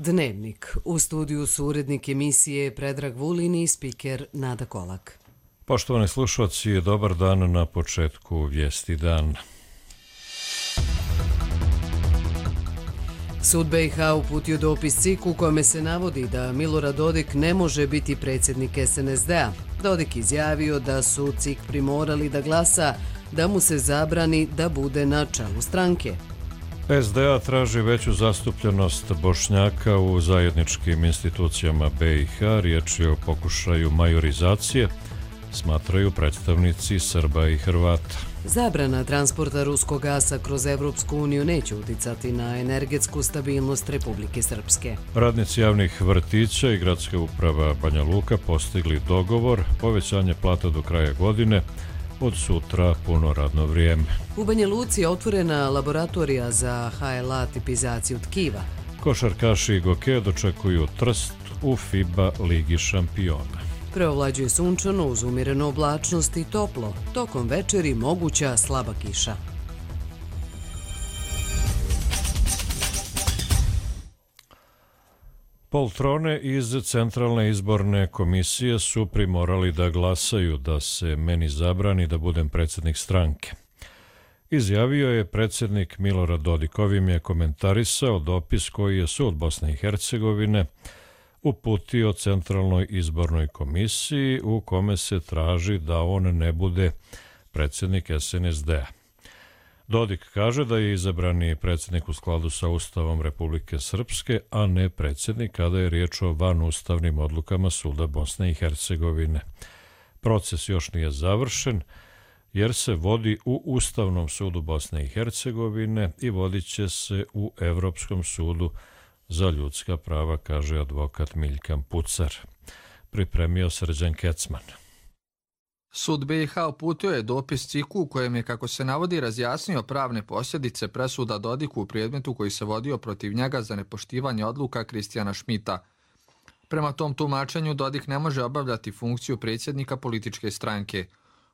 Dnevnik. U studiju su urednik emisije Predrag Vulin i spiker Nada Kolak. Poštovani slušalci, dobar dan na početku Vijesti dan. Sud BiH uputio dopis CIK-u u kome se navodi da Milorad Dodik ne može biti predsjednik SNSD-a. Dodik izjavio da su CIK primorali da glasa da mu se zabrani da bude na čelu stranke. SDA traži veću zastupljenost Bošnjaka u zajedničkim institucijama BiH. Riječ je o pokušaju majorizacije, smatraju predstavnici Srba i Hrvata. Zabrana transporta ruskog gasa kroz Evropsku uniju neće uticati na energetsku stabilnost Republike Srpske. Radnici javnih vrtića i gradska uprava Banja Luka postigli dogovor, povećanje plata do kraja godine, od sutra puno radno vrijeme. U Banja Luci je otvorena laboratorija za HLA tipizaciju tkiva. Košarkaši i Goke dočekuju Trst u FIBA Ligi šampiona. Preovlađuje sunčano uz umjerenu oblačnost i toplo. Tokom večeri moguća slaba kiša. Poltrone iz Centralne izborne komisije su primorali da glasaju da se meni zabrani da budem predsjednik stranke. Izjavio je predsjednik Milorad Dodik. Ovim je komentarisao dopis koji je sud Bosne i Hercegovine uputio Centralnoj izbornoj komisiji u kome se traži da on ne bude predsjednik SNSD-a. Dodik kaže da je izabrani predsjednik u skladu sa Ustavom Republike Srpske, a ne predsjednik kada je riječ o vanustavnim odlukama suda Bosne i Hercegovine. Proces još nije završen jer se vodi u Ustavnom sudu Bosne i Hercegovine i vodit će se u Evropskom sudu za ljudska prava, kaže advokat Miljkan Pucar. Pripremio Srđan Kecman. Sud BiH uputio je dopis CIK-u u kojem je, kako se navodi, razjasnio pravne posljedice presuda Dodiku u predmetu koji se vodio protiv njega za nepoštivanje odluka Kristijana Šmita. Prema tom tumačenju Dodik ne može obavljati funkciju predsjednika političke stranke.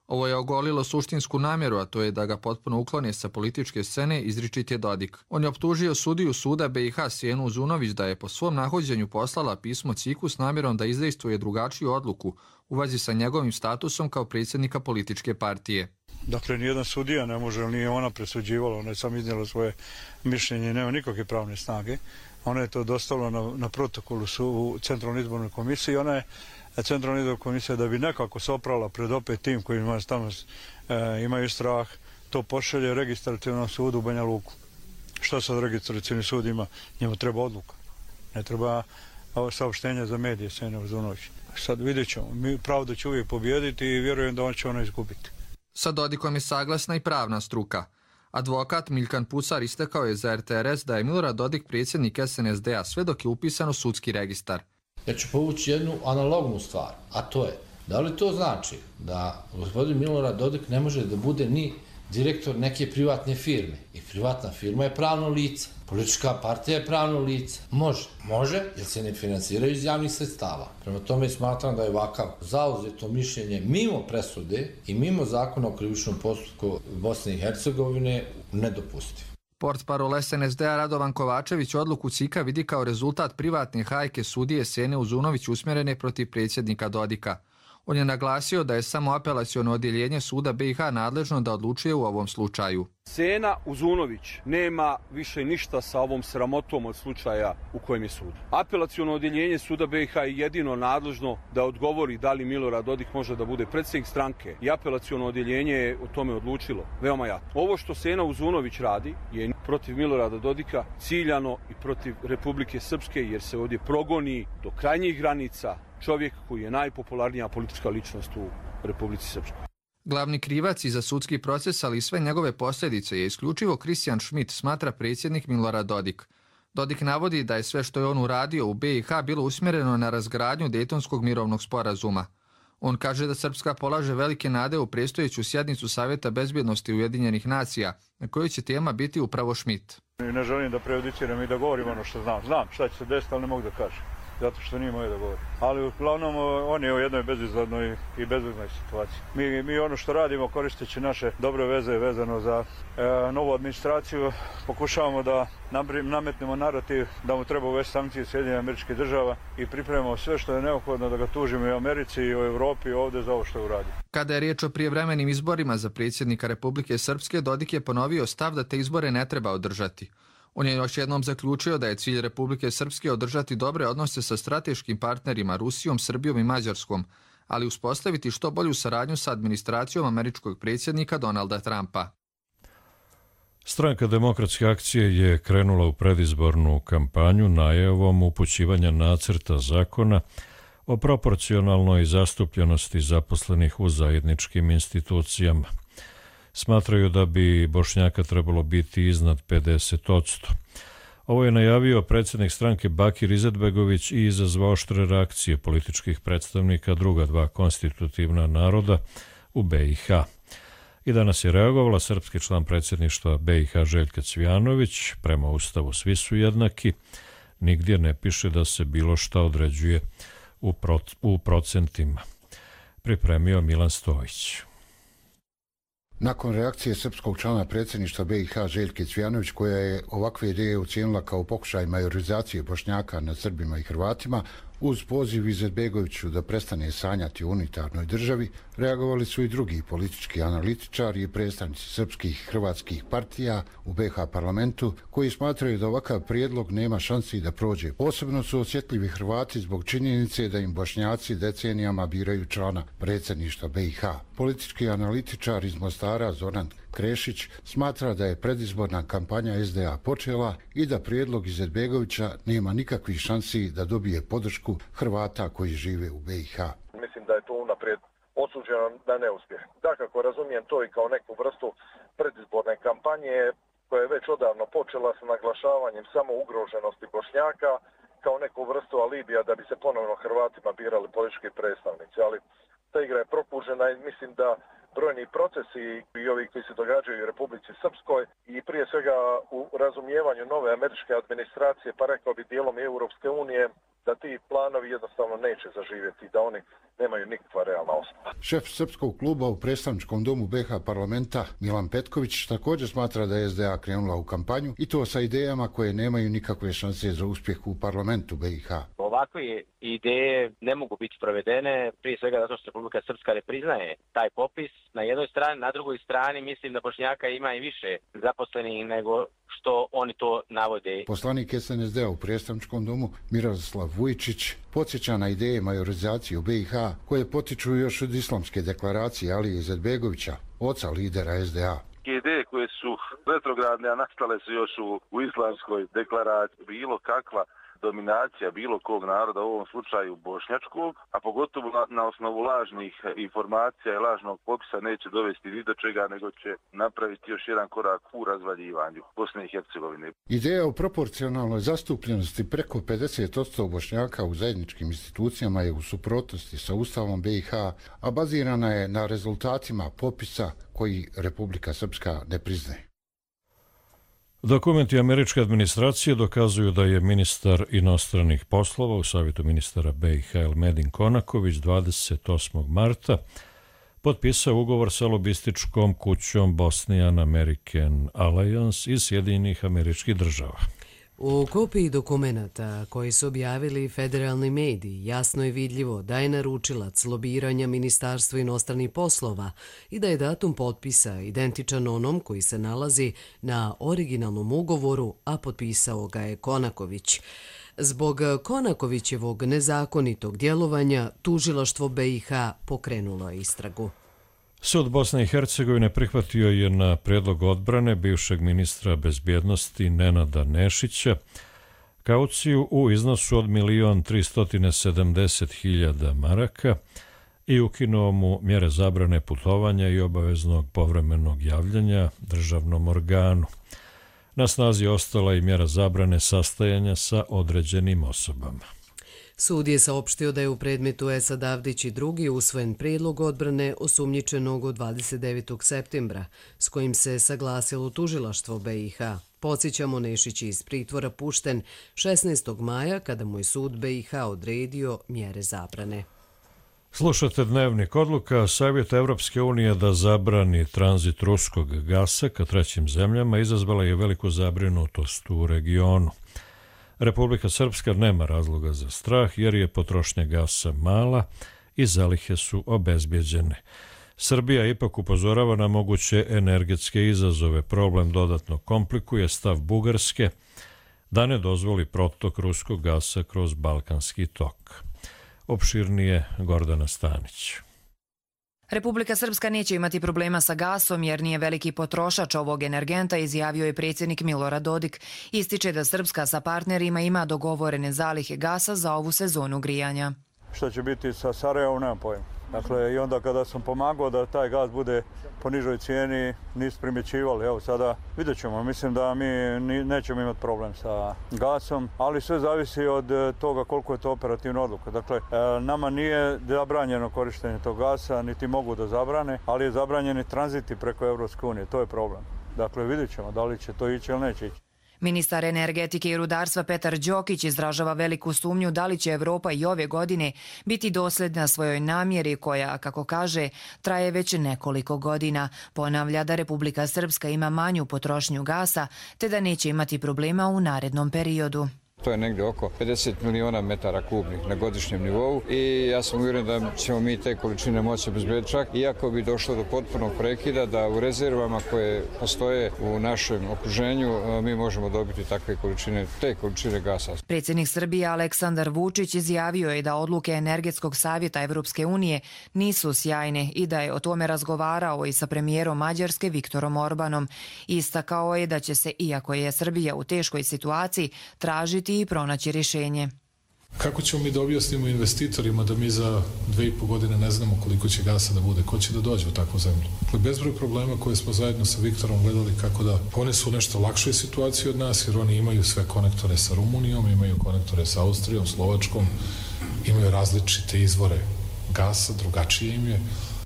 Ovo je ogolilo suštinsku namjeru, a to je da ga potpuno uklone sa političke scene, izričit je Dodik. On je optužio sudiju suda BiH Sjenu Uzunović da je po svom nahođenju poslala pismo CIK-u s namjerom da izdejstvuje drugačiju odluku u vezi sa njegovim statusom kao predsjednika političke partije. Dakle, nijedan sudija ne može, nije ona presuđivala, ona je sam iznijela svoje mišljenje i nema nikakve pravne snage. Ona je to dostavila na protokolu u Centralnoj izbornoj komisiji i ona je Centralna izborna komisija, da bi nekako se oprala pred opet tim koji tamo imaju strah, to pošalje registrativnom sudu u Banja Luku. Što sad registrativni sud ima? Njemu treba odluka. Ne treba saopštenje za medije, Sjene Uzunović. Sad vidjet ćemo. Pravda će uvijek pobijediti i vjerujem da on će ona izgubiti. Sa Dodikom je saglasna i pravna struka. Advokat Miljkan Pucar istakao je za RTRS da je Milorad Dodik predsjednik SNSD-a sve dok je upisan u sudski registar. Ja ću povući jednu analognu stvar, a to je, da li to znači da gospodin Milorad Dodik ne može da bude ni direktor neke privatne firme? I privatna firma je pravno lice, politička partija je pravno lice. Može, jer se ne finansiraju iz javnih sredstava. Prema tome smatram da je ovakav zauzeto mišljenje mimo presude i mimo zakona o krivičnom postupku Bosne i Hercegovine nedopustiv. Portparol SNSD-a Radovan Kovačević odluku CIK-a vidi kao rezultat privatne hajke sudije Sjene Uzunović usmjerene protiv predsjednika Dodika. On je naglasio da je samo apelaciono odjeljenje suda BiH nadležno da odlučuje u ovom slučaju. Sjena Uzunović nema više ništa sa ovom sramotom od slučaja u kojem je sud. Apelaciono odjeljenje suda BiH je jedino nadležno da odgovori da li Milorad Dodik može da bude predsjednik stranke i apelaciono odjeljenje je o tome odlučilo. Veoma jasno. Ovo što Sjena Uzunović radi je protiv Milorada Dodika ciljano i protiv Republike Srpske jer se ovdje progoni do krajnjih granica čovjek koji je najpopularnija politička ličnost u Republici Srpskoj. Glavni krivac i za sudski proces, ali i sve njegove posljedice je isključivo Kristijan Šmit, smatra predsjednik Milorad Dodik. Dodik navodi da je sve što je on uradio u BiH bilo usmjereno na razgradnju Dejtonskog mirovnog sporazuma. On kaže da Srpska polaže velike nade u predstojeću sjednicu Savjeta bezbjednosti Ujedinjenih nacija, na kojoj će tema biti upravo Šmit. Ne želim da prejudiciram i da govorim ono što znam. Znam šta će se desiti, ali ne mogu da kažem. zato što nije moje da govorim. Ali uglavnom on je u jednoj bezizladnoj i bezveznoj situaciji. Mi ono što radimo koristeći naše dobre veze vezano za novu administraciju, pokušavamo da nametnemo narativ da mu treba uvesti sankcije Sjedinjenih Američkih Država i pripremamo sve što je neophodno da ga tužimo i u Americi i u Evropi i ovdje za ovo što je uradio. Kada je riječ o prijevremenim izborima za predsjednika Republike Srpske, Dodik je ponovio stav da te izbore ne treba održati. On je još jednom zaključio da je cilj Republike Srpske održati dobre odnose sa strateškim partnerima Rusijom, Srbijom i Mađarskom, ali uspostaviti što bolju saradnju sa administracijom američkog predsjednika Donalda Trumpa. Stranka Demokratske akcije je krenula u predizbornu kampanju najavom upućivanja nacrta zakona o proporcionalnoj zastupljenosti zaposlenih u zajedničkim institucijama. Smatraju da bi Bošnjaka trebalo biti iznad 50%. Ovo je najavio predsjednik stranke Bakir Izetbegović i izazvao oštre reakcije političkih predstavnika druga dva konstitutivna naroda u BiH. I danas je reagovala srpski član predsjedništva BiH Željka Cvijanović. Prema Ustavu svi su jednaki. Nigdje ne piše da se bilo šta određuje u procentima. Pripremio Milan Stojić. Nakon reakcije srpskog člana predsjedništva BiH Željke Cvijanović, koja je ovakve ideje ocijenila kao pokušaj majorizacije Bošnjaka nad Srbima i Hrvatima, uz poziv Izetbegoviću da prestane sanjati o unitarnoj državi, reagovali su i drugi politički analitičari i predstavnici srpskih i hrvatskih partija u BiH parlamentu, koji smatraju da ovakav prijedlog nema šansi da prođe. Posebno su osjetljivi Hrvati zbog činjenice da im Bošnjaci decenijama biraju člana predsjedništva BiH. Politički analitičar iz Mostara Zoran Krešić smatra da je predizborna kampanja SDA počela i da prijedlog Izetbegovića nema nikakvih šansi da dobije podršku Hrvata koji žive u BiH. Mislim da je to unaprijed osuđeno na neuspjeh. Dakako, razumijem to i kao neku vrstu predizborne kampanje koja je već odavno počela sa naglašavanjem samo ugroženosti Bošnjaka kao neku vrstu alibija da bi se ponovno Hrvatima birali politički predstavnici. Ali ta igra je prokužena i mislim da brojni procesi i ovi koji se događaju u Republici Srpskoj i prije svega u razumijevanju nove američke administracije, pa rekao bi dijelom i Europske unije, da ti planovi jednostavno neće zaživjeti, da oni nemaju nikakva realna osnova. Šef srpskog kluba u predstavničkom domu BiH parlamenta Milan Petković također smatra da je SDA krenula u kampanju i to sa idejama koje nemaju nikakve šanse za uspjeh u parlamentu BiH. Ovakve ideje ne mogu biti provedene, prije svega zato što Republika Srpska ne priznaje taj popis. Na jednoj strani, na drugoj strani mislim da Bošnjaka ima i više zaposlenih nego što oni to navode. Poslanik SNSD u predstavničkom domu Miroslav Vujčić podsjeća na ideje majorizacije u BiH koje potiču još od islamske deklaracije Alije Izetbegovića, oca lidera SDA. Ideje koje su retrogradne, a nastale su još u islamskoj deklaraciji, bilo kakva dominacija bilo kog naroda, u ovom slučaju bošnjačkog, a pogotovo na osnovu lažnih informacija i lažnog popisa neće dovesti ni do čega, nego će napraviti još jedan korak u razvaljivanju Bosne i Hercegovine. Ideja o proporcionalnoj zastupljenosti preko 50% Bošnjaka u zajedničkim institucijama je u suprotnosti sa Ustavom BiH, a bazirana je na rezultatima popisa koji Republika Srpska ne priznaje. Dokumenti američke administracije dokazuju da je ministar inostranih poslova u savjetu ministara BiH Elmedin Konaković 28. marta potpisao ugovor sa lobističkom kućom Bosnian American Alliance iz Sjedinjenih Američkih Država. U kopiji dokumenata koji su objavili federalni mediji jasno je vidljivo da je naručilac lobiranja Ministarstva inostranih poslova i da je datum potpisa identičan onom koji se nalazi na originalnom ugovoru, a potpisao ga je Konaković. Zbog Konakovićevog nezakonitog djelovanja tužilaštvo BiH pokrenulo je istragu. Sud Bosne i Hercegovine prihvatio je na prijedlog odbrane bivšeg ministra bezbjednosti Nenada Nešića kauciju u iznosu od 1.370.000 maraka i ukinuo mu mjere zabrane putovanja i obaveznog povremenog javljanja državnom organu. Na snazi ostala i mjera zabrane sastajanja sa određenim osobama. Sud je saopštio da je u predmetu Esad Avdić i drugi usvojen prijedlog odbrane osumnjičenog od 29. septembra, s kojim se saglasilo tužilaštvo BiH. Podsjećamo, Nešić je iz pritvora pušten 16. maja kada mu je sud BiH odredio mjere zabrane. Slušate Dnevnik. Odluka Savjeta Evropske unije da zabrani tranzit ruskog gasa ka trećim zemljama izazvala je veliku zabrinutost u regionu. Republika Srpska nema razloga za strah jer je potrošnja gasa mala i zalihe su obezbjeđene. Srbija ipak upozorava na moguće energetske izazove. Problem dodatno komplikuje stav Bugarske da ne dozvoli protok ruskog gasa kroz Balkanski tok. Opširnije Gordana Stanić. Republika Srpska neće imati problema sa gasom jer nije veliki potrošač ovog energenta, izjavio je predsjednik Milorad Dodik. Ističe da Srpska sa partnerima ima dogovorene zalihe gasa za ovu sezonu grijanja. Što će biti sa Sarajevom, nemam pojma. Dakle, i onda kada sam pomagao da taj gas bude po nižoj cijeni, nisu primjećivali. Evo sada vidjet ćemo. Mislim da mi nećemo imati problem sa gasom, ali sve zavisi od toga koliko je to operativna odluka. Dakle, nama nije zabranjeno korištenje tog gasa, niti mogu da zabrane, ali je zabranjeni tranziti preko Evropske unije. To je problem. Dakle, vidjet ćemo da li će to ići ili neće ići. Ministar energetike i rudarstva Petar Đokić izražava veliku sumnju da li će Evropa i ove godine biti dosljedna svojoj namjeri koja, kako kaže, traje već nekoliko godina. Ponavlja da Republika Srpska ima manju potrošnju gasa te da neće imati problema u narednom periodu. To je negdje oko 50 miliona metara kubnih na godišnjem nivou i ja sam uvjeren da ćemo mi te količine moći obezbediti, čak iako bi došlo do potpunog prekida, da u rezervama koje postoje u našem okruženju mi možemo dobiti takve količine, te količine gasa. Predsjednik Srbije Aleksandar Vučić izjavio je da odluke Energetskog savjeta Evropske unije nisu sjajne i da je o tome razgovarao i sa premijerom Mađarske Viktorom Orbanom. Istakao je da će se, iako je Srbija u teškoj situaciji, tražiti i pronaći rješenje. Kako ćemo mi da objasnimo investitorima da mi za 2,5 godine ne znamo koliko će gasa da bude? Ko će da dođe u takvu zemlju? Dakle, bezbroj problema koje smo zajedno sa Viktorom gledali kako da one su u nešto lakšoj situaciji od nas, jer oni imaju sve konektore sa Rumunijom, imaju konektore sa Austrijom, Slovačkom, imaju različite izvore gasa, drugačije im je.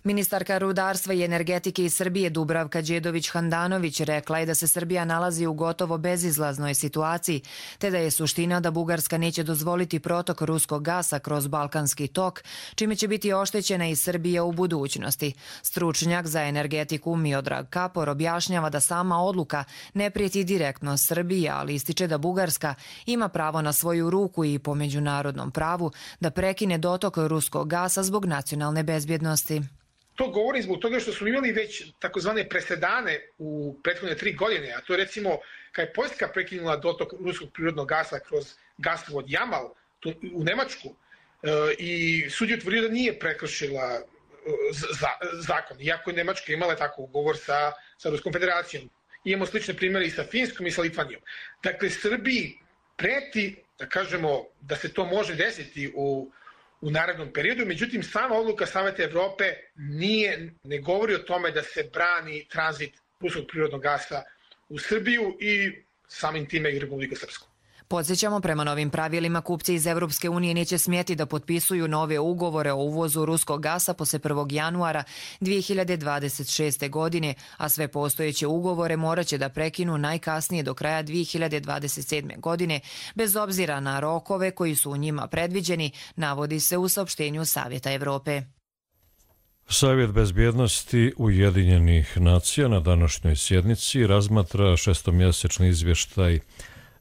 Ministarka rudarstva i energetike iz Srbije Dubravka Đedović-Handanović rekla je da se Srbija nalazi u gotovo bezizlaznoj situaciji, te da je suština da Bugarska neće dozvoliti protok ruskog gasa kroz Balkanski tok, čime će biti oštećena i Srbija u budućnosti. Stručnjak za energetiku Miodrag Kapor objašnjava da sama odluka ne prijeti direktno Srbiji, ali ističe da Bugarska ima pravo na svoju ruku i po međunarodnom pravu da prekine dotok ruskog gasa zbog nacionalne bezbjednosti. To govorim zbog toga što smo imali već takozvane presedane u prethodne 3 godine, a to je recimo kad je Poljska prekinula dotok ruskog prirodnog gasa kroz gasovod Jamal u Nemačku i sud je utvrdio da nije prekršila zakon, iako je Nemačka imala tako ugovor sa Ruskom federacijom. Imamo slične primjere i sa Finskom i sa Litvanijom. Dakle, Srbiji preti, da kažemo, da se to može desiti u narednom periodu, međutim sama odluka Saveta Evrope ne govori o tome da se brani tranzit ruskog prirodnog gasa u Srbiju i samim time i Republiku Srpsku. Podsjećamo, prema novim pravilima kupci iz Evropske unije neće smjeti da potpisuju nove ugovore o uvozu ruskog gasa posle 1. januara 2026. godine, a sve postojeće ugovore moraće da prekinu najkasnije do kraja 2027. godine, bez obzira na rokove koji su u njima predviđeni, navodi se u saopštenju Savjeta Evrope. Savjet bezbjednosti Ujedinjenih nacija na današnjoj sjednici razmatra šestomjesečni izvještaj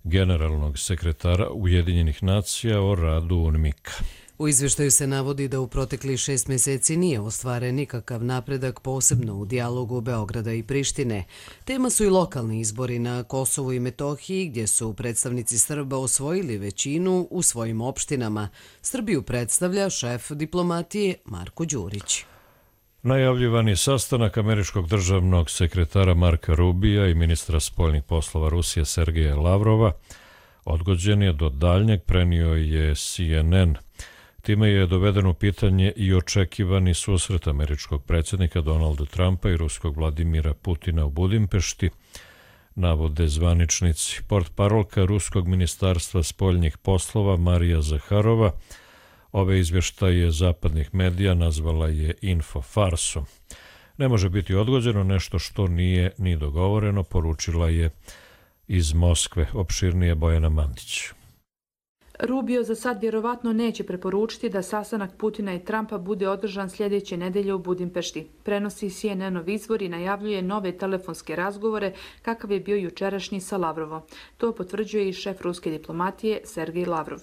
generalnog sekretara Ujedinjenih nacija o radu UNMIK-a. U izvještaju se navodi da u proteklih 6 mjeseci nije ostvaren nikakav napredak, posebno u dijalogu Beograda i Prištine. Tema su i lokalni izbori na Kosovu i Metohiji, gdje su predstavnici Srba osvojili većinu u svojim opštinama. Srbiju predstavlja šef diplomatije Marko Đurić. Najavljivani sastanak američkog državnog sekretara Marka Rubija i ministra spoljnih poslova Rusije Sergeja Lavrova odgođen je do daljnjeg, prenio je CNN. Time je doveden u pitanje i očekivani susret američkog predsjednika Donalda Trumpa i ruskog Vladimira Putina u Budimpešti, navode zvaničnici. Portparolka ruskog ministarstva spoljnih poslova Marija Zaharova Ove izvještaje zapadnih medija nazvala je infofarsom. Ne može biti odgođeno nešto što nije ni dogovoreno, poručila je iz Moskve opširnije Bojana Mandić. Rubio za sad vjerovatno neće preporučiti da sastanak Putina i Trumpa bude održan sljedeće nedelje u Budimpešti. Prenosi CNN-ov izvor i najavljuje nove telefonske razgovore kakav je bio jučerašnji sa Lavrovom. To potvrđuje i šef ruske diplomatije Sergej Lavrov.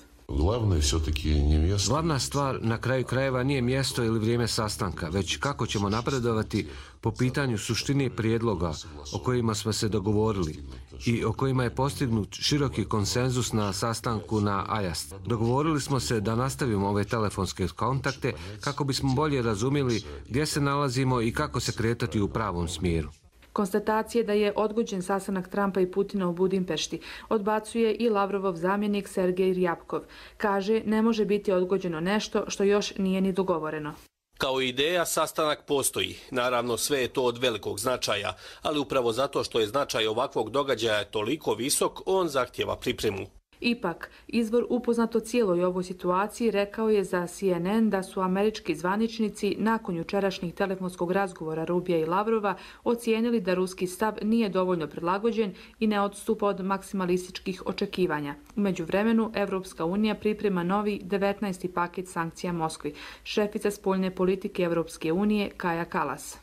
Glavna stvar na kraju krajeva nije mjesto ili vrijeme sastanka, već kako ćemo napredovati po pitanju suštine prijedloga o kojima smo se dogovorili i o kojima je postignut široki konsenzus na sastanku na Ajast. Dogovorili smo se da nastavimo ove telefonske kontakte kako bismo bolje razumjeli gdje se nalazimo i kako se kretati u pravom smjeru. Konstatacije da je odgođen sastanak Trumpa i Putina u Budimpešti odbacuje i Lavrovov zamjenik Sergej Ryabkov. Kaže, ne može biti odgođeno nešto što još nije ni dogovoreno. Kao ideja, sastanak postoji. Naravno, sve je to od velikog značaja, ali upravo zato što je značaj ovakvog događaja toliko visok, on zahtijeva pripremu. Ipak, izvor upoznat o cijeloj ovoj situaciji rekao je za CNN da su američki zvaničnici nakon jučerašnjih telefonskog razgovora Rubija i Lavrova ocijenili da ruski stav nije dovoljno prilagođen i ne odstupa od maksimalističkih očekivanja. U međuvremenu, Evropska unija priprema novi 19. paket sankcija Moskvi. Šefica spoljne politike Evropske unije Kaja Kallas.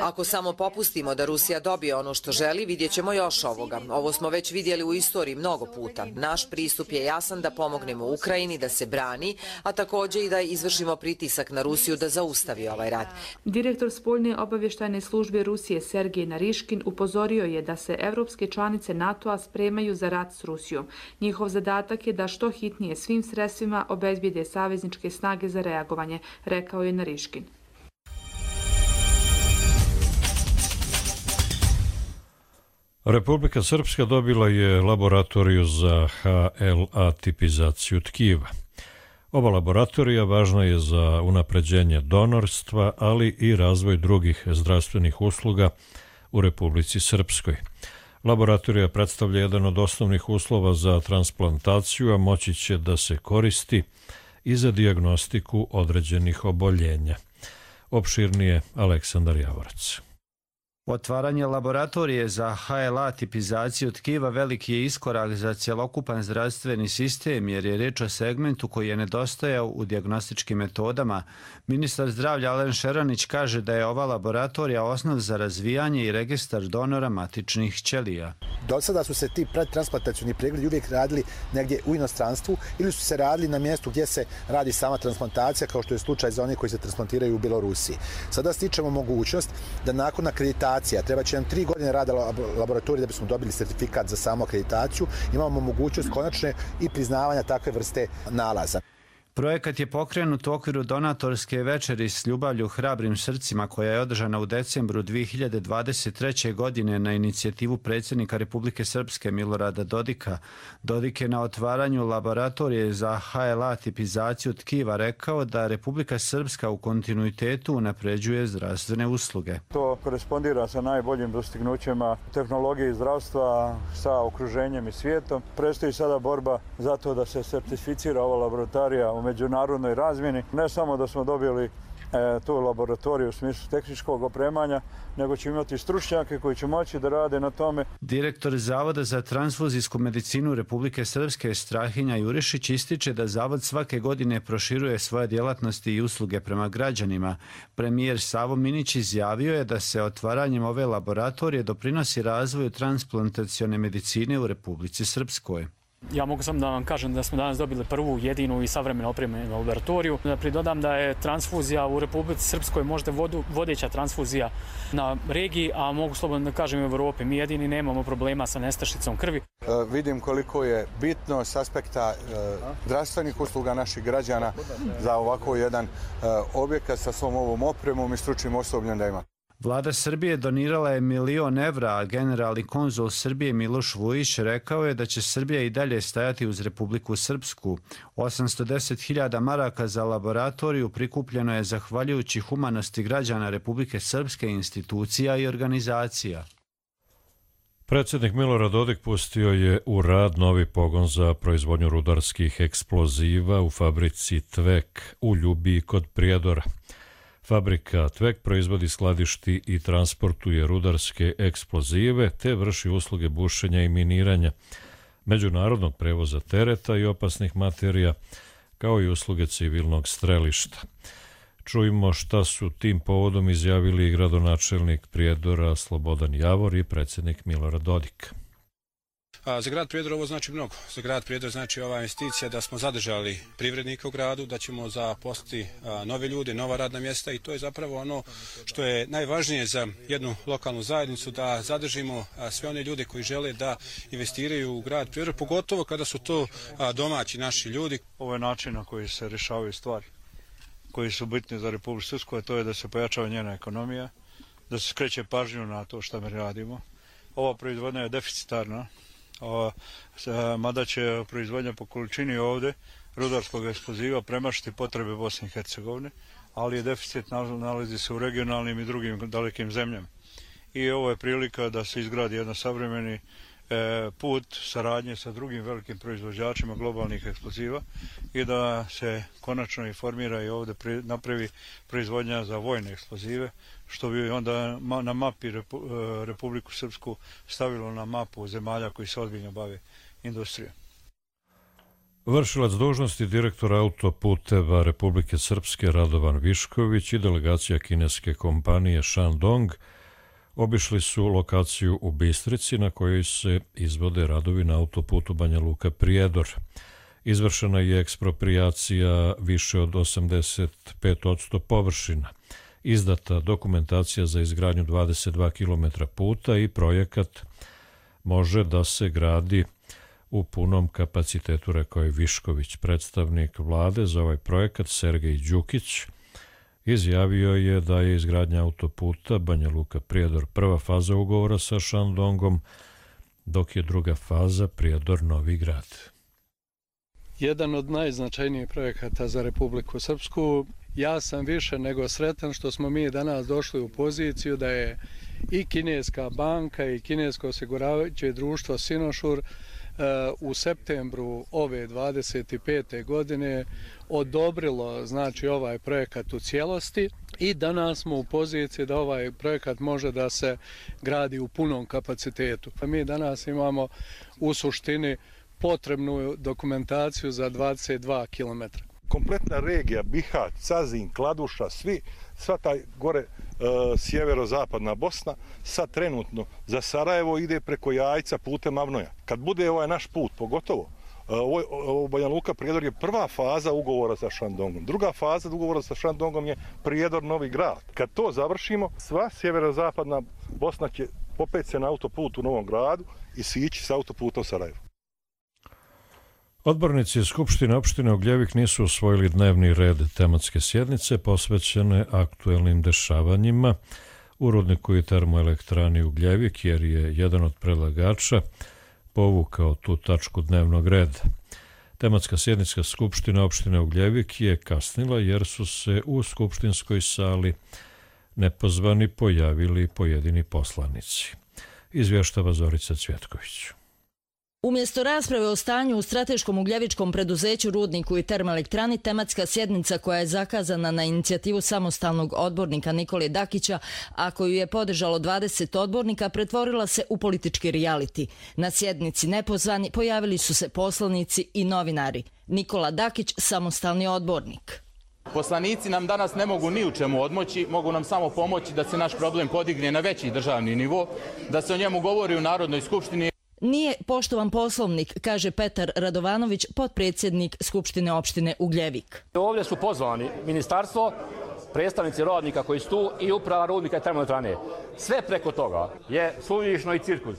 Ako samo popustimo da Rusija dobije ono što želi, vidjet ćemo još ovoga. Ovo smo već vidjeli u istoriji mnogo puta. Naš pristup je jasan da pomognemo Ukrajini da se brani, a također i da izvršimo pritisak na Rusiju da zaustavi ovaj rat. Direktor spoljne obavještajne službe Rusije Sergej Nariškin upozorio je da se evropske članice NATO-a spremaju za rat s Rusijom. Njihov zadatak je da što hitnije svim sredstvima obezbijede savezničke snage za reagovanje, rekao je Nariškin. Republika Srpska dobila je laboratoriju za HLA tipizaciju tkiva. Ova laboratorija važna je za unapređenje donorstva, ali i razvoj drugih zdravstvenih usluga u Republici Srpskoj. Laboratorija predstavlja jedan od osnovnih uslova za transplantaciju, a moći će da se koristi i za dijagnostiku određenih oboljenja. Opširnije Aleksandar Javorac. Otvaranje laboratorije za HLA tipizaciju tkiva veliki je iskorak za cjelokupan zdravstveni sistem jer je riječ o segmentu koji je nedostajao u dijagnostičkim metodama. Ministar zdravlja Alen Šeranić kaže da je ova laboratorija osnov za razvijanje i registar donora matičnih ćelija. Do sada su se ti predtransplantacioni pregledi uvijek radili negdje u inostranstvu ili su se radili na mjestu gdje se radi sama transplantacija, kao što je slučaj za one koji se transplantiraju u Bjelorusiji. Sada stičemo mogućnost da nakon akreditacije, treba će nam 3 godine rada laboratorije da bismo dobili sertifikat za samu akreditaciju, imamo mogućnost konačne i priznavanja takve vrste nalaza. Projekat je pokrenut u okviru donatorske večeri s ljubavlju hrabrim srcima koja je održana u decembru 2023. godine na inicijativu predsjednika Republike Srpske Milorada Dodika. Dodik je na otvaranju laboratorije za HLA tipizaciju tkiva rekao da Republika Srpska u kontinuitetu unapređuje zdravstvene usluge. To korespondira sa najboljim dostignućima tehnologije i zdravstva sa okruženjem i svijetom. Predstoji sada borba za to da se certificira ova laboratorija u međunarodnoj razmjeni. Ne samo da smo dobili tu laboratoriju u smislu tehničkog opremanja, nego ćemo imati stručnjake koji će moći da rade na tome. Direktor Zavoda za transfuzijsku medicinu Republike Srpske Strahinja Jurišić ističe da Zavod svake godine proširuje svoje djelatnosti i usluge prema građanima. Premijer Savo Minić izjavio je da se otvaranjem ove laboratorije doprinosi razvoju transplantacione medicine u Republici Srpskoj. Ja mogu samo da vam kažem da smo danas dobili prvu, jedinu i savremeno opremljenu laboratoriju. Da pridodam da je transfuzija u Republici Srpskoj možda vodeća transfuzija na regiji, a mogu slobodno da kažem u Evropi. Mi jedini nemamo problema sa nestašicom krvi. Vidim koliko je bitno s aspekta zdravstvenih usluga naših građana za ovako jedan objekat sa svom ovom opremom i stručnim osobljem da ima. Vlada Srbije donirala je 1 milion evra, a generalni konzul Srbije Miloš Vujić rekao je da će Srbija i dalje stajati uz Republiku Srpsku. 810.000 maraka za laboratoriju prikupljeno je zahvaljujući humanosti građana Republike Srpske, institucija i organizacija. Predsjednik Milorad Dodik pustio je u rad novi pogon za proizvodnju rudarskih eksploziva u fabrici Tvek u Ljubiji kod Prijedora. Fabrika Tvek proizvodi, skladišti i transportuje rudarske eksplozive te vrši usluge bušenja i miniranja, međunarodnog prevoza tereta i opasnih materija, kao i usluge civilnog strelišta. Čujmo šta su tim povodom izjavili gradonačelnik Prijedora Slobodan Javor i predsjednik Milorad Dodik. Za grad Prijedor ovo znači mnogo. Za grad Prijedor znači ova investicija da smo zadržali privrednike u gradu, da ćemo zaposliti nove ljude, nova radna mjesta i to je zapravo ono što je najvažnije za jednu lokalnu zajednicu, da zadržimo sve one ljude koji žele da investiraju u grad Prijedor, pogotovo kada su to domaći naši ljudi. Ovo je način na koji se rješavaju stvari koji su bitni za Republiku Srpsku, a to je da se pojačava njena ekonomija, da se skreće pažnju na to što mi radimo. Ova proizvodnja je deficitarna, mada će proizvodnja po količini ovdje rudarskog eksploziva premašiti potrebe Bosne i Hercegovine, ali je deficit nalazi se u regionalnim i drugim dalekim zemljama. I ovo je prilika da se izgradi jedan savremeni put saradnje sa drugim velikim proizvođačima globalnih eksploziva i da se konačno informira i ovdje napravi proizvodnja za vojne eksplozive, što bi onda na mapi Republiku Srpsku stavilo na mapu zemalja koji se ozbiljno bave industrijom. Vršilac dužnosti direktora autoputeva Republike Srpske Radovan Višković i delegacija kineske kompanije Shandong obišli su lokaciju u Bistrici na kojoj se izvode radovi na autoputu Banja Luka-Prijedor. Izvršena je eksproprijacija više od 85% površina. Izdata dokumentacija za izgradnju 22 km puta i projekat može da se gradi u punom kapacitetu, rekao je Višković. Predstavnik vlade za ovaj projekat Sergej Đukić izjavio je da je izgradnja autoputa Banja Luka-Prijedor prva faza ugovora sa Shandongom, dok je druga faza Prijedor-Novi Grad. Jedan od najznačajnijih projekata za Republiku Srpsku. Ja sam više nego sretan što smo mi danas došli u poziciju da je i kineska banka i kinesko osiguravajuće društvo Sinošur u septembru ove 25. godine odobrilo znači ovaj projekat u cijelosti i danas smo u poziciji da ovaj projekat može da se gradi u punom kapacitetu. Mi danas imamo u suštini potrebnu dokumentaciju za 22 km. Kompletna regija, Bihać, Cazin, Kladuša, sva taj gore sjeverozapadna Bosna, sad trenutno za Sarajevo ide preko Jajca putem Avnoja. Kad bude ovaj naš put, pogotovo, Banja Luka-Prijedor je prva faza ugovora sa Shandongom. Druga faza ugovora sa Shandongom je Prijedor-Novi Grad. Kad to završimo, sva sjeverozapadna Bosna će popet se na autoput u Novom Gradu i sići sa autoputa u Sarajevo. Odbornici Skupštine opštine Ugljevik nisu usvojili dnevni red tematske sjednice posvećene aktuelnim dešavanjima u rudniku i termoelektrani Ugljevik, jer je jedan od predlagača povukao tu tačku dnevnog reda. Tematska sjednica Skupštine opštine Ugljevik je kasnila jer su se u skupštinskoj sali nepozvani pojavili pojedini poslanici. Izvještava Zorica Cvjetković. Umjesto rasprave o stanju u strateškom ugljevičkom preduzeću, rudniku i termoelektrani, tematska sjednica koja je zakazana na inicijativu samostalnog odbornika Nikole Dakića, a koju je podržalo 20 odbornika, pretvorila se u politički rijaliti. Na sjednici nepozvani pojavili su se poslanici i novinari. Nikola Dakić, samostalni odbornik. Poslanici nam danas ne mogu ni u čemu odmoći, mogu nam samo pomoći da se naš problem podigne na veći državni nivo, da se o njemu govori u Narodnoj skupštini. Nije poštovan poslovnik, kaže Petar Radovanović, potpredsjednik Skupštine opštine Ugljevik. Ovdje su pozvani ministarstvo, predstavnici radnika koji su tu i uprava rudnika i termoelektrane. Sve preko toga je suvišno i cirkus.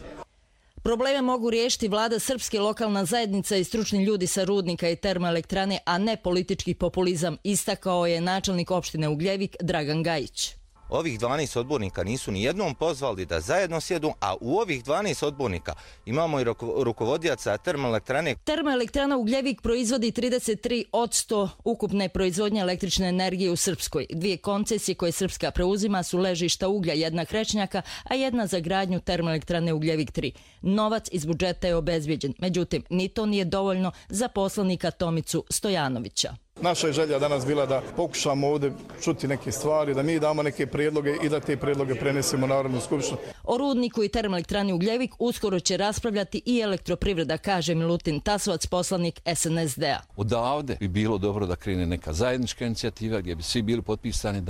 Probleme mogu riješiti vlada srpske, lokalna zajednica i stručni ljudi sa rudnika i termoelektrane, a ne politički populizam, istakao je načelnik opštine Ugljevik Dragan Gajić. ovih 12 odbornika nisu ni jednom pozvali da zajedno sjedu, a u ovih 12 odbornika imamo i rukovodioca termoelektrane. Termoelektrana Ugljevik proizvodi 33% ukupne proizvodnje električne energije u Srpskoj. 2 koncesije koje Srpska preuzima su ležišta uglja, jedna Krečnjaka, a jedna za gradnju termoelektrane Ugljevik 3. Novac iz budžeta je obezbijeđen, međutim, ni to nije dovoljno za poslanika Tomicu Stojanovića. Naša je želja danas bila da pokušamo ovdje čuti neke stvari, da mi damo neke prijedloge i da te prijedloge prenesemo u Narodnu skupštinu. O rudniku i termoelektrani Ugljevik uskoro će raspravljati i elektroprivreda, kaže Milutin Tasovac, poslanik SNSD-a. Odavde bi bilo dobro da krene neka zajednička inicijativa gdje bi svi bili potpisani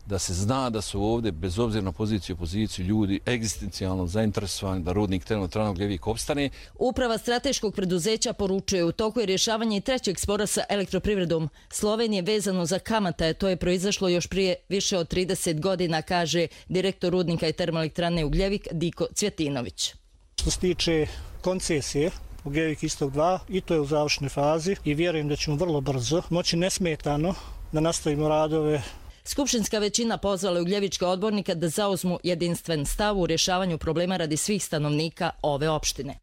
da se zna da su ovdje, bez obzira na poziciju i opoziciju, ljudi egzistencijalno zainteresovani da rudnik termoelektrane Ugljevik opstane. Uprava strateškog preduzeća poručuje u toku je rješavanje i trećeg spora sa elektroprivredom Slovenije vezano za kamate. To je proizašlo još prije više od 30 godina, kaže direktor rudnika i termoelektrane Ugljevik Diko Cvjetinović. Što se tiče koncesije Ugljevik Istok 2, i to je u završnoj fazi i vjerujem da ćemo vrlo brzo moći nesmetano da nastavimo radove. Skupštinska većina pozvala ugljevičke odbornike da zauzmu jedinstven stav u rješavanju problema radi svih stanovnika ove opštine.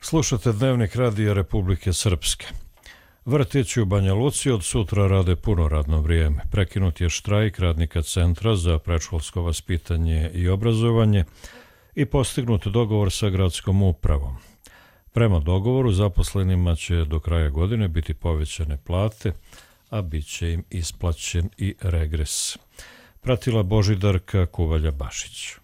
Slušate Dnevnik Radija Republike Srpske. Vrtići u Banja Luci od sutra rade puno radno vrijeme. Prekinut je štrajk radnika Centra za predškolsko vaspitanje i obrazovanje i postignut dogovor sa gradskom upravom. Prema dogovoru zaposlenima će do kraja godine biti povećane plate, a bit će im isplaćen i regres. Pratila Božidarka Kuvalja-Bašić.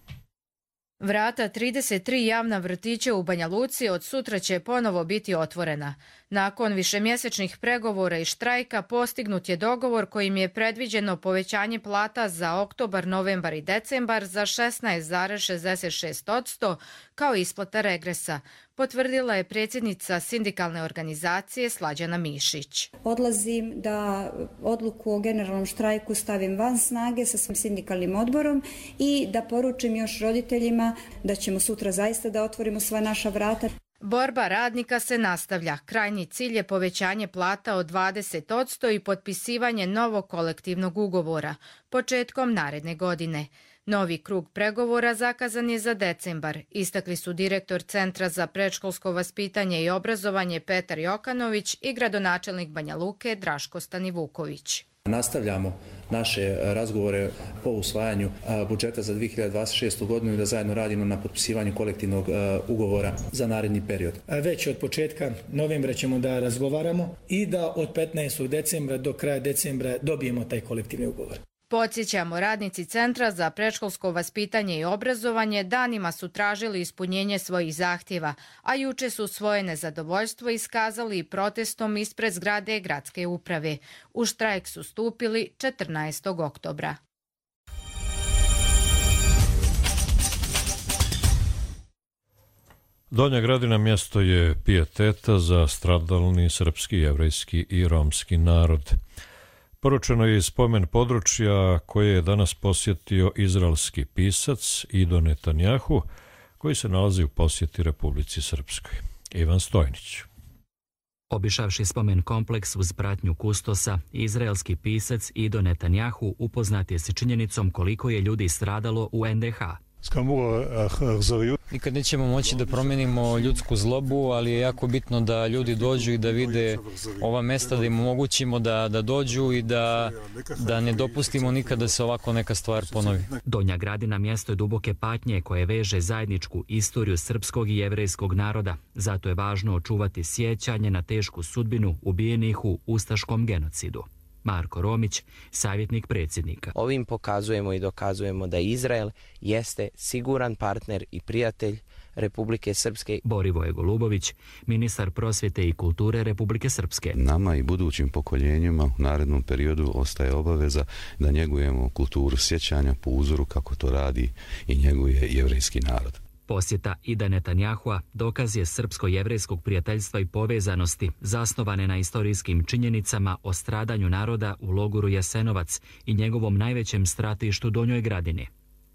Vrata 33 javna vrtića u Banja Luci od sutra će ponovo biti otvorena. Nakon višemjesečnih pregovora i štrajka postignut je dogovor kojim je predviđeno povećanje plata za oktobar, novembar i decembar za 16,66% kao isplata regresa, potvrdila je predsjednica sindikalne organizacije Slađana Mišić. Odlazim da odluku o generalnom štrajku stavim van snage sa svojim sindikalnim odborom i da poručim još roditeljima da ćemo sutra zaista da otvorimo sva naša vrata. Borba radnika se nastavlja. Krajnji cilj je povećanje plata od 20% i potpisivanje novog kolektivnog ugovora početkom naredne godine. Novi krug pregovora zakazan je za decembar, istakli su direktor Centra za predškolsko vaspitanje i obrazovanje Petar Jokanović i gradonačelnik Banja Luke Draško Stanivuković. Nastavljamo naše razgovore po usvajanju budžeta za 2026. godinu i da zajedno radimo na potpisivanju kolektivnog ugovora za naredni period. Već od početka novembra ćemo da razgovaramo i da od 15. decembra do kraja decembra dobijemo taj kolektivni ugovor. Podsjećamo, radnici Centra za predškolsko vaspitanje i obrazovanje danima su tražili ispunjenje svojih zahtjeva, a juče su svoje nezadovoljstvo iskazali protestom ispred zgrade gradske uprave. U štrajk su stupili 14. oktobra. Donja Gradina mjesto je pijeteta za stradalni srpski, jevrejski i romski narod. Poručeno je iz spomen područja koje je danas posjetio izraelski pisac Ido Netanjahu, koji se nalazi u posjeti Republici Srpskoj. Ivan Stojnić. Obišavši spomen kompleks uz pratnju kustosa, izraelski pisac Ido Netanjahu upoznat je s činjenicom koliko je ljudi stradalo u NDH. Nikad nećemo moći da promijenimo ljudsku zlobu, ali je jako bitno da ljudi dođu i da vide ova mesta, da im omogućimo da dođu i da ne dopustimo nikad da se ovako neka stvar ponovi. Donja Gradina mjesto je duboke patnje koje veže zajedničku istoriju srpskog i jevrejskog naroda. Zato je važno očuvati sjećanje na tešku sudbinu ubijenih u ustaškom genocidu. Marko Romić, savjetnik predsjednika. Ovim pokazujemo i dokazujemo da Izrael jeste siguran partner i prijatelj Republike Srpske. Borivoje Golubović, ministar prosvjete i kulture Republike Srpske. Nama i budućim pokoljenjima u narednom periodu ostaje obaveza da njegujemo kulturu sjećanja po uzoru kako to radi i njeguje jevrejski narod. Posjeta Ida Netanjahua dokaz je srpsko-jevrejskog prijateljstva i povezanosti zasnovane na istorijskim činjenicama o stradanju naroda u logoru Jasenovac i njegovom najvećem stratištu Donjoj Gradini.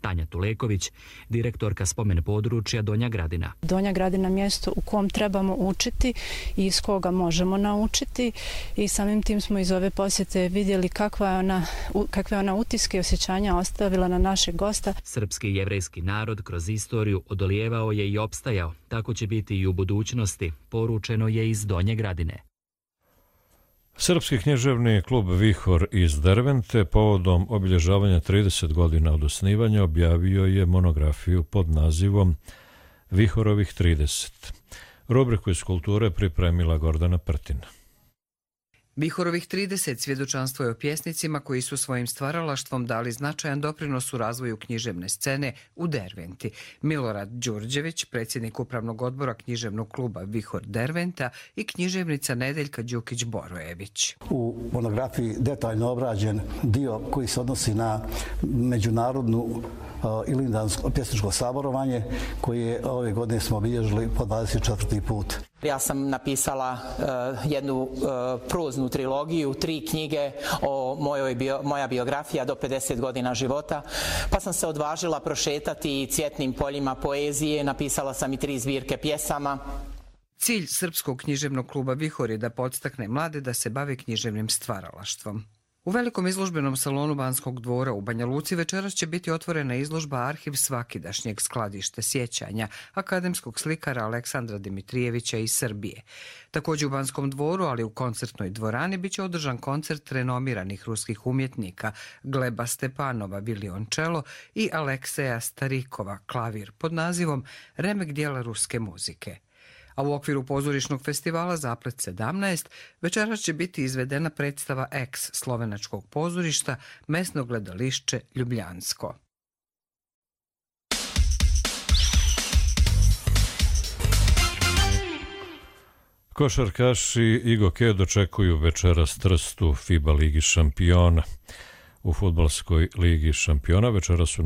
Tanja Tuleković, direktorka spomen područja Donja Gradina. Donja Gradina je mjesto u kom trebamo učiti i iz koga možemo naučiti i samim tim smo iz ove posjete vidjeli kakve ona utiske i osjećanja ostavila na našeg gosta. Srpski i jevrejski narod kroz istoriju odolijevao je i opstajao. Tako će biti i u budućnosti, poručeno je iz Donje Gradine. Srpski književni klub Vihor iz Dervente povodom obilježavanja 30 godina od osnivanja objavio je monografiju pod nazivom Vihorovih 30. Rubriku iz kulture pripremila Gordana Prtina. Vihorovih 30 svjedočanstvo je o pjesnicima koji su svojim stvaralaštvom dali značajan doprinos u razvoju književne scene u Derventi. Milorad Đurđević, predsjednik upravnog odbora književnog kluba Vihor Derventa i književnica Nedeljka Đukić-Borojević. U monografiji detaljno obrađen dio koji se odnosi na međunarodnu ilindansko pjesničko saborovanje koje ove godine smo obilježili po 24. put. Ja sam napisala jednu proznu trilogiju, 3 knjige o moja biografija do 50 godina života, pa sam se odvažila prošetati cvjetnim poljima poezije, napisala sam i 3 zbirke pjesama. Cilj Srpskog književnog kluba Vihor je da podstakne mlade da se bave književnim stvaralaštvom. U velikom izložbenom salonu Banskog dvora u Banja Luci večeras će biti otvorena izložba Arhiv svakidašnjeg skladište sjećanja akademskog slikara Aleksandra Dimitrijevića iz Srbije. Također u Banskom dvoru, ali u koncertnoj dvorani, bit će održan koncert renomiranih ruskih umjetnika Gleba Stepanova violončelo i Alekseja Starikova klavir pod nazivom Remek dijela ruske muzike. A u okviru pozorišnog festivala Zaplet 17 večeras će biti izvedena predstava ex slovenačkog pozorišta Mesno gledališće Ljubljansko. Košarkaši i Goke dočekuju večeras Trst u FIBA Ligi šampiona. U fudbalskoj Ligi šampiona večeras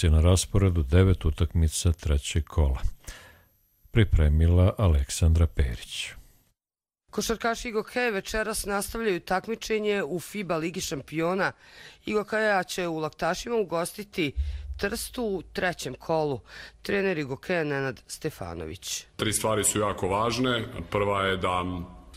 je na rasporedu 9 utakmica trećeg kola. Pripremila Aleksandra Perić. Košarkaši Igokeja večeras nastavljaju takmičenje u FIBA Ligi šampiona. Igokeja će u Laktašima ugostiti Trstu u trećem kolu. Trener Igokeja Nenad Stefanović. 3 stvari su jako važne. Prva je da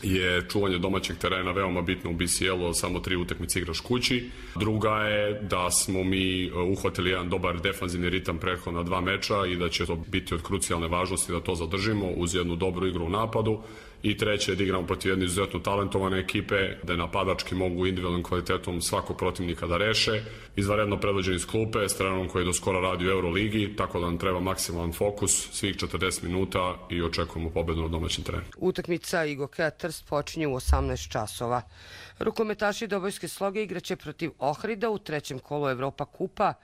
je čuvanje domaćeg terena veoma bitno u BCL-u, samo 3 utakmice igraš kući. Druga je da smo mi uhvatili jedan dobar defanzivni ritam prethodna 2 meča i da će to biti od krucijalne važnosti da to zadržimo uz jednu dobru igru u napadu. I treće je da igramo protiv jedne izuzetno talentovane ekipe, da napadački mogu individualnim kvalitetom svakog protivnika da reše. Izvanredno predvođeni iz klupe, s trenerom koji je do skora radi u Euroligi, tako da nam treba maksimalan fokus, svih 40 minuta i očekujemo pobedu na domaćem terenu. Utakmica Igokeja Trst počinje u 18 časova. Rukometaši Dobojske Sloge igraće protiv Ohrida u trećem kolu Evropa kupa.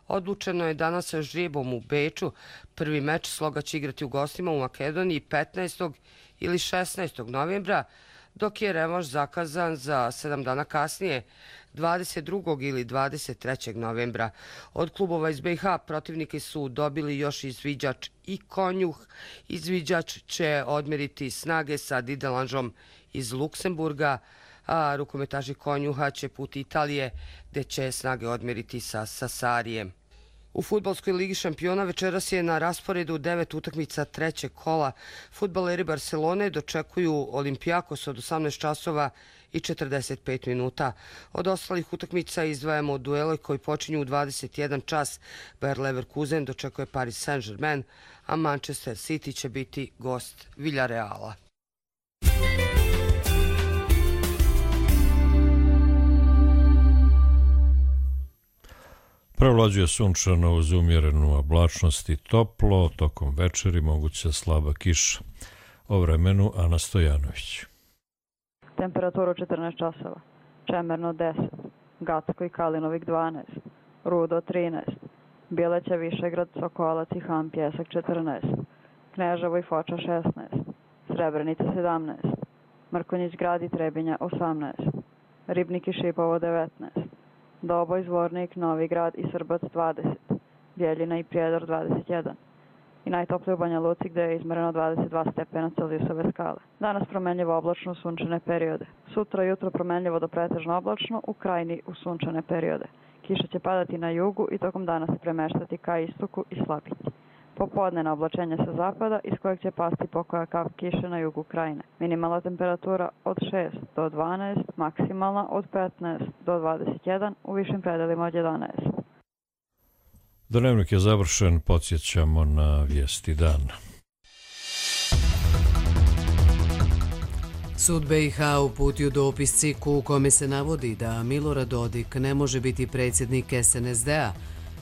Odlučeno je danas sa žrebom u Beču. Prvi meč Sloga će igrati u gostima u Makedoniji 15. ili 16. novembra, dok je revanš zakazan za 7 dana kasnije, 22. ili 23. novembra. Od klubova iz BiH protivniki su dobili još izviđač i Konjuh. Izviđač će odmeriti snage sa Didelanžom iz Luksemburga, a rukometaši Konjuha će put Italije, gde će snage odmeriti sa Sasarijem. U fudbalskoj Ligi šampiona večeras je na rasporedu 9 utakmica trećeg kola. Fudbaleri Barcelone dočekuju Olimpijakos od 18 časova i 45 minuta. Od ostalih utakmica izdvajamo duele koji počinju u 21 čas. Bayer Leverkusen dočekuje Paris Saint-Germain, a Manchester City će biti gost Villareala. Prevlađuje sunčano uz umjerenu oblačnost i toplo, tokom večeri moguća slaba kiša. O vremenu Ana Stojanović. Temperaturu 14 časova, Čemerno 10, Gacko i Kalinovik 12, Rudo 13, Bileća, Višegrad, Sokolac i Han Pjesak 14, Kneževo i Foča 16, Srebrenica 17, Mrkonjić Grad i Trebinja 18, Ribnik i Šipovo 19, Doboj, Zvornik, Novi Grad i Srbac 20, Bjeljina i Prijedor 21 i najtoplije u Banja Luci gdje je izmereno 22 stepena Celzijusove skale. Danas promenljivo oblačno sunčane periode. Sutra jutro promenljivo do pretežno oblačno, u Krajini u sunčane periode. Kiša će padati na jugu i tokom dana se premeštati ka istoku i slabiti. Popodne na oblačenje sa zapada iz kojeg će pasti pokoja kap kiše na jugu krajine. Minimalna temperatura od 6 do 12, maksimalna od 15 do 21, u višim predelima od 11. Dnevnik je završen, podsjećamo na vijesti dana. Sud BiH uputio dopis CIK-u u kome se navodi da Milorad Dodik ne može biti predsjednik SNSD-a.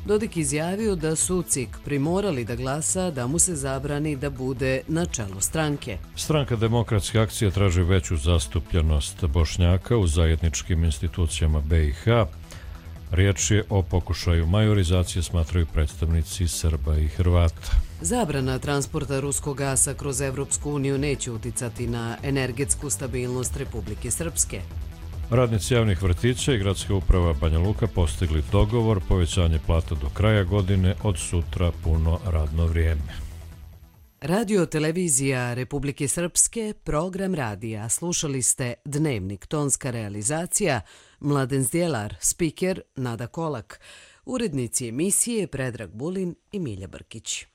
Dodik izjavio da su CIK primorali da glasa da mu se zabrani da bude na čelu stranke. Stranka Demokratske akcije traži veću zastupljenost Bošnjaka u zajedničkim institucijama BiH. Riječ je o pokušaju majorizacije, smatraju predstavnici Srba i Hrvata. Zabrana transporta ruskog gasa kroz Evropsku uniju neće uticati na energetsku stabilnost Republike Srpske. Radnici javnih vrtića i gradska uprava Banja Luka postigli dogovor, povećanje plata do kraja godine, od sutra puno radno vrijeme. Radio televizija Republike Srpske, program radija. Slušali ste Dnevnik, tonska realizacija, Mladen Zdjelar, spiker Nada Kolak, urednici emisije Predrag Bulin i Milja Brkić.